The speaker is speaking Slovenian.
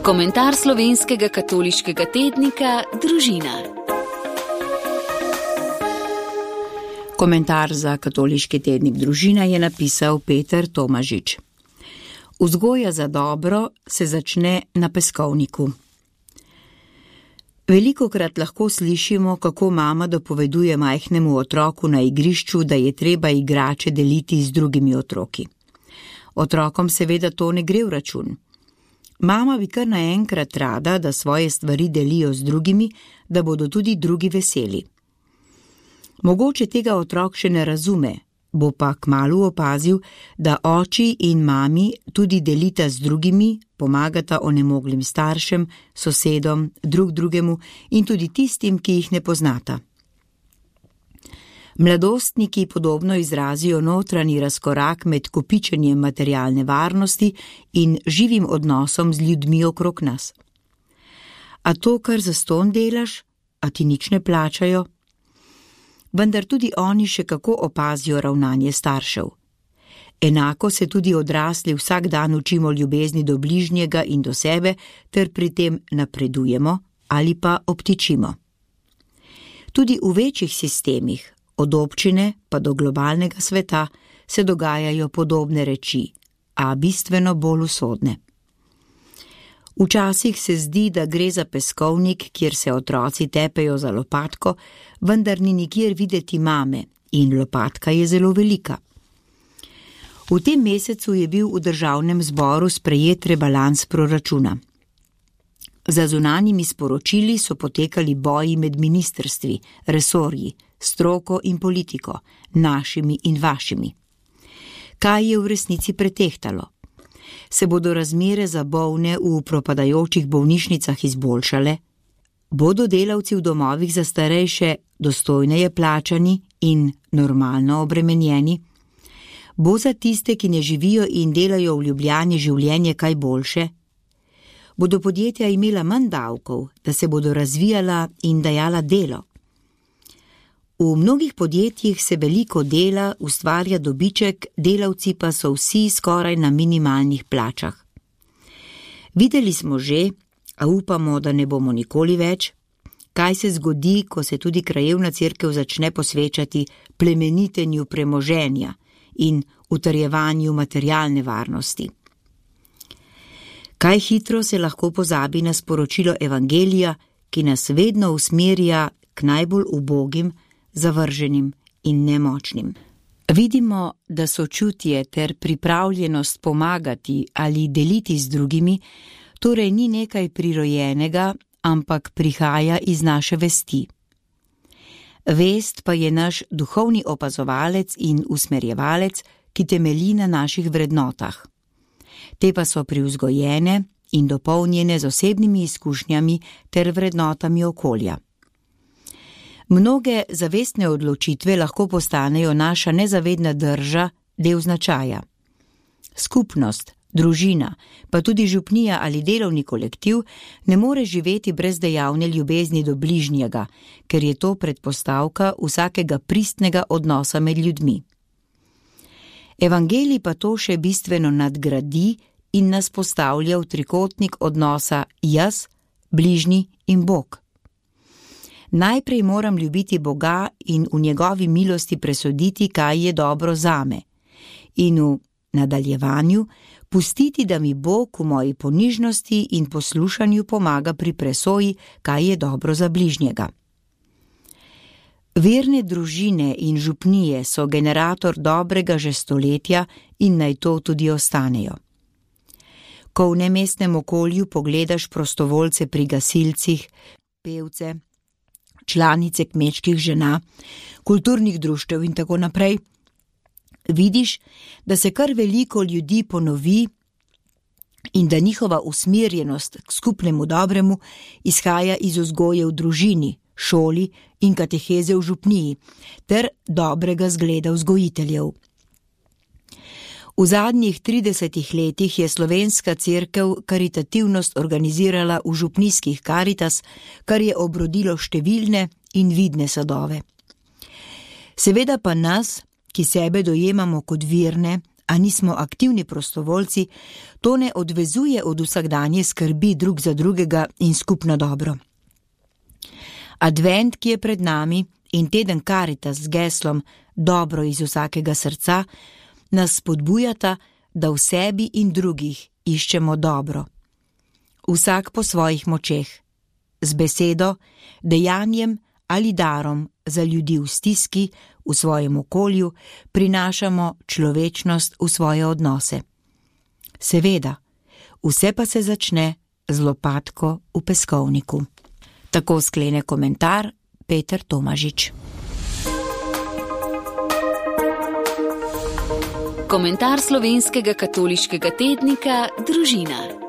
Komentar slovenskega katoliškega tednika Družina. Komentar za katoliški tednik Družina je napisal Peter Tomažič. Vzgoja za dobro se začne na peskovniku. Velikokrat lahko slišimo, kako mama dopoveduje majhnemu otroku na igrišču, da je treba igrače deliti z drugimi otroki. Otrokom seveda to ne gre v račun. Mama bi kar naenkrat rada, da svoje stvari delijo z drugimi, da bodo tudi drugi veseli. Mogoče tega otrok še ne razume, bo pa kmalu opazil, da oči in mami tudi delita z drugimi, pomagata onemoglim staršem, sosedom, drugemu in tudi tistim, ki jih ne poznata. Mladostniki podobno izrazijo notranji razkorak med kopičenjem materialne varnosti in živim odnosom z ljudmi okrog nas. A to, kar zastonj delaš, a ti nič ne plačajo? Vendar tudi oni še kako opazijo ravnanje staršev. Enako se tudi odrasli vsak dan učimo ljubezni do bližnjega in do sebe, ter pri tem napredujemo ali pa obtičimo. Tudi v večjih sistemih, od občine pa do globalnega sveta, se dogajajo podobne reči, a bistveno bolj usodne. Včasih se zdi, da gre za peskovnik, kjer se otroci tepejo za lopatko, vendar ni nikjer videti mame in lopatka je zelo velika. V tem mesecu je bil v državnem zboru sprejet rebalans proračuna. Za zunanjimi sporočili so potekali boji med ministrstvi, resorji, stroko in politiko, našimi in vašimi. Kaj je v resnici pretehtalo? Se bodo razmere za bolne v propadajočih bolnišnicah izboljšale? Bodo delavci v domovih za starejše dostojneje plačani in normalno obremenjeni? Bo za tiste, ki ne živijo in delajo v Ljubljani, življenje kaj boljše? Bodo podjetja imela manj davkov, da se bodo razvijala in dajala delo? V mnogih podjetjih se veliko dela, ustvarja dobiček, delavci pa so vsi skoraj na minimalnih plačah. Videli smo že, a upamo, da ne bomo nikoli več, kaj se zgodi, ko se tudi krajevna cerkev začne posvečati plemenitenju premoženja in utrjevanju materialne varnosti. Kaj hitro se lahko pozabi na sporočilo evangelija, ki nas vedno usmerja k najbolj ubogim, zavrženim in nemočnim. Vidimo, da sočutje ter pripravljenost pomagati ali deliti z drugimi, torej ni nekaj prirojenega, ampak prihaja iz naše vesti. Vest pa je naš duhovni opazovalec in usmerjevalec, ki temelji na naših vrednotah. Te pa so privzgojene in dopolnjene z osebnimi izkušnjami ter vrednotami okolja. Mnoge zavestne odločitve lahko postanejo naša nezavedna drža, del značaja. Skupnost, družina, pa tudi župnija ali delovni kolektiv ne more živeti brez dejavne ljubezni do bližnjega, ker je to predpostavka vsakega pristnega odnosa med ljudmi. Evangelij pa to še bistveno nadgradi in nas postavlja v trikotnik odnosa jaz, bližnji in Bog. Najprej moram ljubiti Boga in v njegovi milosti presoditi, kaj je dobro zame, in v nadaljevanju pustiti, da mi Bog v moji ponižnosti in poslušanju pomaga pri presoji, kaj je dobro za bližnjega. Verne družine in župnije so generator dobrega že stoletja in naj to tudi ostanejo. Ko v nemestnem okolju pogledaš prostovoljce pri gasilcih, pevce, članice kmečkih žena, kulturnih društev in tako naprej, vidiš, da se kar veliko ljudi ponovi in da njihova usmerjenost k skupnemu dobremu izhaja iz vzgoje v družini, šoli in kateheze v župniji ter dobrega zgleda vzgojiteljev. V zadnjih 30 letih je slovenska cerkev karitativnost organizirala v župnijskih Karitas, kar je obrodilo številne in vidne sadove. Seveda pa nas, ki sebe dojemamo kot virne a nismo aktivni prostovoljci, to ne odvezuje od vsakdanje skrbi drug za drugega in skupno dobro. Advent, ki je pred nami, in teden Karitas z geslom Dobro iz vsakega srca, nas spodbujata, da v sebi in drugih iščemo dobro. Vsak po svojih močeh, z besedo, dejanjem ali darom za ljudi v stiski, v svojem okolju, prinašamo človečnost v svoje odnose. Seveda, vse pa se začne z lopatko v peskovniku. Tako sklene komentar Peter Tomažič. Komentar slovenskega katoliškega tednika Družina.